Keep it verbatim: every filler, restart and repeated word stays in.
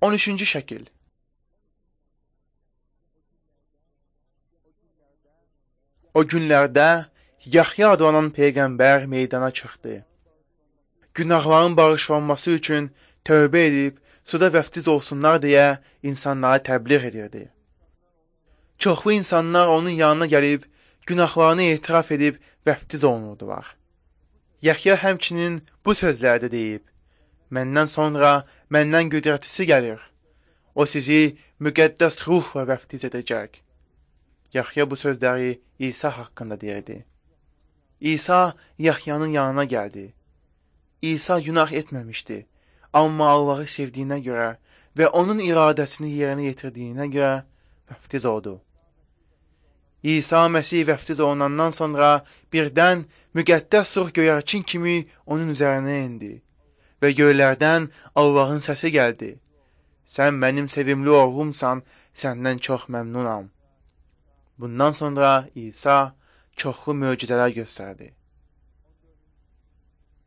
on üçüncü şəkil. O günlərdə Yahya adlanan peyğəmbər meydana çıxdı. Günahların bağışlanması üçün tövbə edib suda vəftiz olsunlar deyə insanlara təbliğ edirdi. Çoxlu insanlar onun yanına gəlib günahlarını etiraf edib vəftiz olunurdular. Yahya həmçinin bu sözlərdə deyib: Məndən sonra məndən qüdrətlisi gəlir. O sizi müqəddəs ruhla vəftiz edəcək. Yahya bu sözləri İsa haqqında deyirdi. İsa Yahyanın yanına gəldi. İsa günah etməmişdi, amma Allahı sevdiyinə görə və onun iradəsini yerinə yetirdiyinə görə vəftiz oldu. İsa Məsih vəftiz olunandan sonra birdən müqəddəs ruh göyərçin kimi onun üzərinə indi və göylərdən Allahın səsi gəldi. Sən mənim sevimli oğlumsan, səndən çox məmnunam. Bundan sonra İsa çoxlu möcüzələr göstərdi.